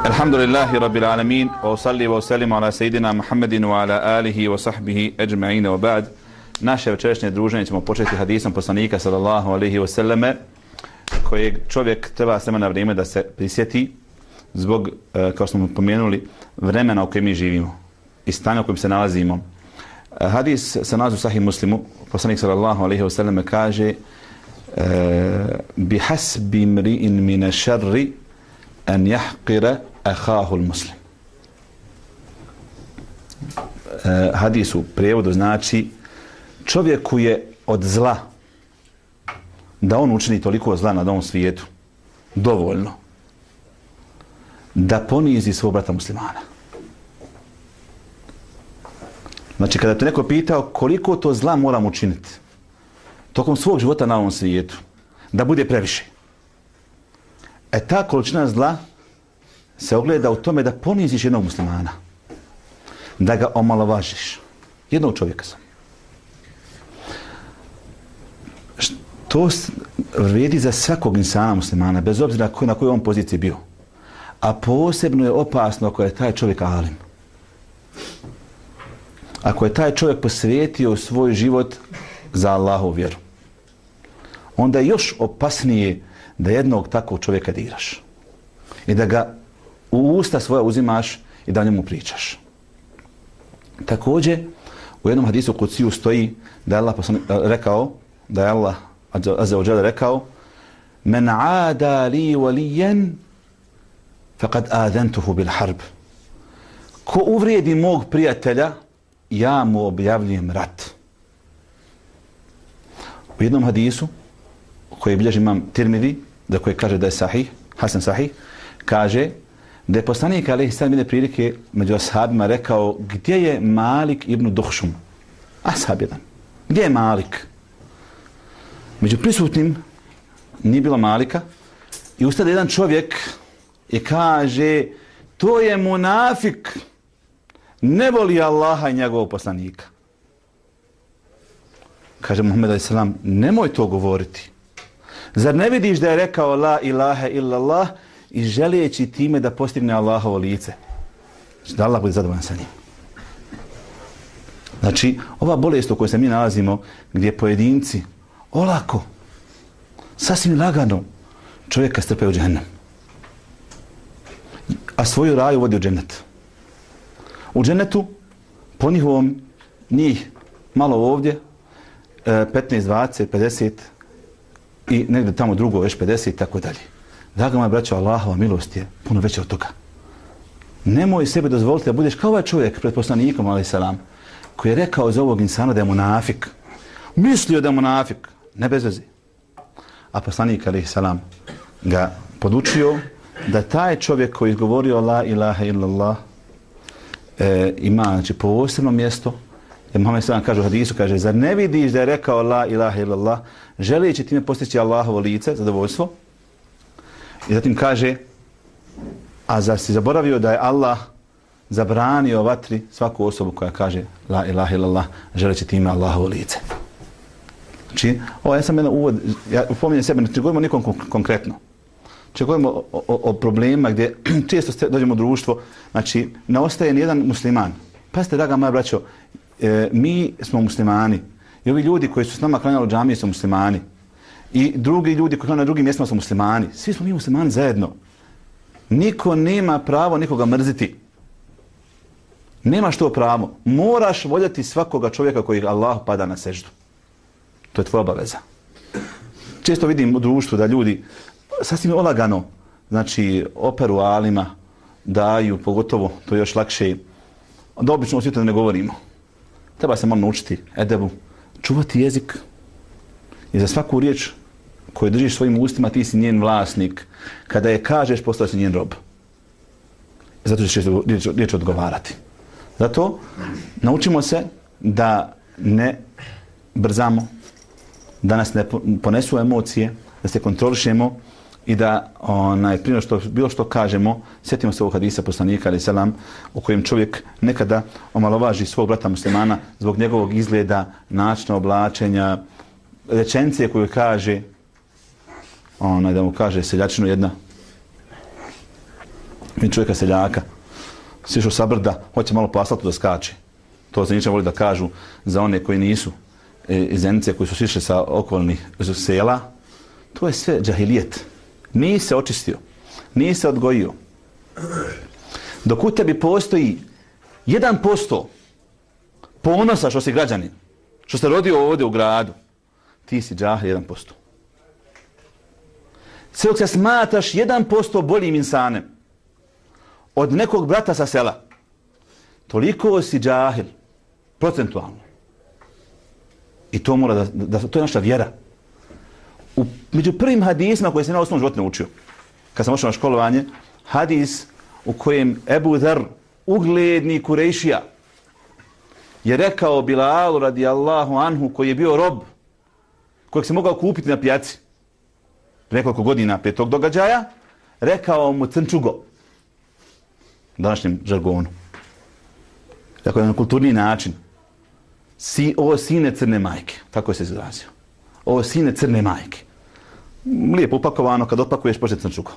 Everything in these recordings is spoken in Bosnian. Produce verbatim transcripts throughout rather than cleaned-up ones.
Alhamdulillahi rabbil alamin, wa usalli wa usallim ala sejidina Muhammedin wa ala alihi wa sahbihi ajma'ina wa ba'd. Naše večerašnje druženje ćemo početi hadisom poslanika sallallahu alaihi wa sallame, kojeg čovjek treba s na vrijeme da se prisjeti zbog, kao smo pomenuli, vremena u kojem mi živimo i stanja u kojem se nalazimo. Hadis se nalazi u Sahih Muslimu. Poslanik sallallahu alaihi wa sallame kaže: bi hasbi mri'in min sharri an yahqira akhahu al-muslim. Hadis u prijevodu znači: čovjeku je od zla da on učini toliko zla na ovom svijetu dovoljno da ponizi svog brata muslimana. Znači, kada te neko pitao koliko to zla moram učiniti tokom svog života na ovom svijetu da bude previše, e ta količina zla se ogleda u tome da poniziš jednog muslimana, da ga omalovažiš, jednog čovjeka sam. To vrijedi za svakog insana muslimana, bez obzira na kojoj on poziciji bio. A posebno je opasno ako je taj čovjek alim. Ako je taj čovjek posvetio svoj život za Allahovu vjeru, onda je još opasnije da jednog takvog čovjeka diraš i da ga u usta svoja uzimaš i da o njemu pričaš. Također, u jednom hadisu kuciju stoji da je Allah rekao, da je Allah azza wa jalla rekao: men aada li waliyan faqad adantuhu bil harb. Ko uvrijedi mog prijatelja, ja mu objavljujem rat. U jednom hadisu koji bilježi imam Tirmidhi, za koje kaže da je sahih, Hasan sahih, kaže da je poslanik alejhi selam jedne prilike među ashabima rekao: gdje je Malik ibn Duhšum? Ashab jedan. Gdje je Malik? Među prisutnim nije bilo Malika i ustade jedan čovjek i kaže: to je munafik, ne voli Allaha i njegovog poslanika. Kaže Muhammed alejhi selam: nemoj to govoriti. Zar ne vidiš da je rekao la ilaha illallah i želijeći time da postigne Allahovo lice? Da Allah bude zadovoljan sa njim. Znači, ova bolest u kojoj se mi nalazimo, gdje pojedinci olako, sasvim lagano čovjeka strpaju u džehennem, a svoju raju vodi u džennet. U džennetu, po njihovom, njih malo ovdje, petnaest, dvadeset, pedeset i negdje tamo drugo već pedeset i tako dalje. Draga moja braćo, Allahova milost je puno veća od toga. Nemoj sebi dozvoliti da budeš kao ovaj čovjek pred poslanikom alejhi selam, koji je rekao za ovog insana da je munafik. Mislio da je munafik, ne bez veze. A poslanik alejhi selam ga podučio da taj čovjek koji je izgovorio la ilaha illallah e, ima, znači, posebno mjesto. Jer Muhammed sallam kaže u hadisu, kaže: zar ne vidiš da je rekao la ilaha illallah želeći time postići Allahovo lice, zadovoljstvo? I zatim kaže: a zar si zaboravio da je Allah zabranio vatri svaku osobu koja kaže la ilaha illallah želeći time Allahovo lice? Znači, ovo ja sam jedan uvod, ja upominjem sebe, ne govorimo nikom konkretno. Znači, govorimo o, o, o problema gdje često dođemo u društvo, znači, ne ostaje nijedan musliman. Pazite, draga moja braćo, e, mi smo muslimani i ovi ljudi koji su s nama klanjali u džamije su muslimani i drugi ljudi koji klanjali na drugim mjestima su muslimani. Svi smo mi muslimani zajedno. Niko nema pravo nikoga mrziti. Nemaš to pravo. Moraš voljeti svakoga čovjeka koji Allah pada na seždu. To je tvoja obaveza. Često vidim u društvu da ljudi sasvim olagano, znači, operu alima, daju, pogotovo, to je još lakše, da obično u svijetu ne govorimo. Treba se malo naučiti edebu, čuvati jezik i za svaku riječ koju držiš svojim ustima ti si njen vlasnik. Kada je kažeš, postao si njen rob. Zato ćeš riječ, riječ odgovarati. Zato naučimo se da ne brzamo, da nas ne ponesu emocije, da se kontrolišemo i da onaj, prije što bilo što kažemo, sjetimo se ovog hadisa poslanika alejhi selam u kojem čovjek nekada omalovaži svog brata muslimana zbog njegovog izgleda, načina oblačenja, rečenice koju kaže, onaj, da mu kaže seljačinu jedna, Mi čovjeka seljaka, sišao sa brda, hoće malo po asfaltu da skače. To se ničem voli da kažu za one koji nisu iz Zenice, koji su sišli sa okolnih sela. To je sve džahilijet. Nije se očistio, nije se odgojio. Dok u tebi postoji jedan posto ponosa što si građanin, što se rodio ovdje u gradu, ti si džahil jedan posto. Sve dok se smatraš jedan posto boljim insanem od nekog brata sa sela, toliko si džahil, procentualno. I to mora da, da to je naša vjera. U, među prvim hadisima koje sam na osnovnom životu naučio, kad sam ošao na školovanje, hadis u kojem Ebu Dher, ugledni Kurejšija, je rekao Bilalu radijallahu anhu, koji je bio rob, kojeg se mogao kupiti na pijaci nekoliko godina prije tog događaja, rekao mu crnčugo, današnjem žargonu. Dakle, na kulturni način. Si, ovo sine crne majke, tako je se izrazio. Ovo sine crne majke. Lijepo upakovano, kad otpakuješ, počne crnčugo.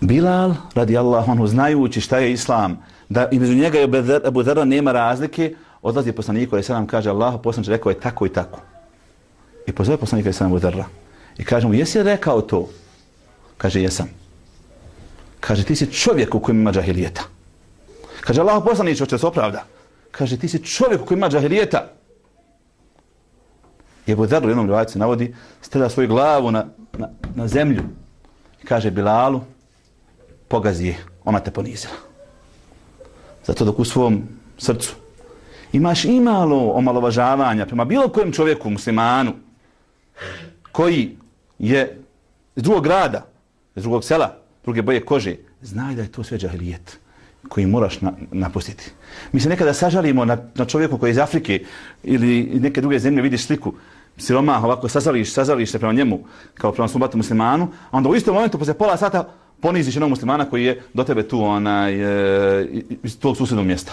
Bilal, radijallahu anhu, znajući šta je islam, da između njega i Ebu Dherra nema razlike, odlazi poslaniku, ali se nam kaže, Allah, poslaniče, rekao je tako i tako. I pozove poslanika i Ebu Dherra. I kaže mu, jesi rekao to? Kaže, jesam. Kaže, ti si čovjek u kojem ima džahilijeta. Kaže, Allah, poslaniče, hoće se opravda. Kaže, ti si čovjek u kojem ima džahilijeta. I Ebu Dherra u jednom rivajcu navodi, stavlja svoju glavu na, na, na zemlju i kaže Bilalu, pogazi je, ona te ponizila. Zato dok u svom srcu imaš imalo omalovažavanja prema bilo kojem čovjeku, muslimanu, koji je iz drugog grada, iz drugog sela, druge boje kože, znaj da je to sve džahilijet koji moraš na, napustiti. Mi se nekada sažalimo na, na čovjeku koji je iz Afrike ili neke druge zemlje, vidiš sliku siromah, ovako sazališ, sazališ se prema njemu kao prema svom bratu muslimanu, a onda u istom momentu posle pola sata poniziš jednog muslimana koji je do tebe tu onaj, e, iz tog susjednog mjesta.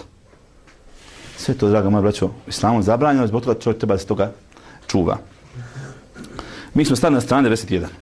Sve to, draga moja braćo, islamom zabranjeno, zbog toga čovjek treba da se toga čuva. Mi smo stali na strani devedeset jedan.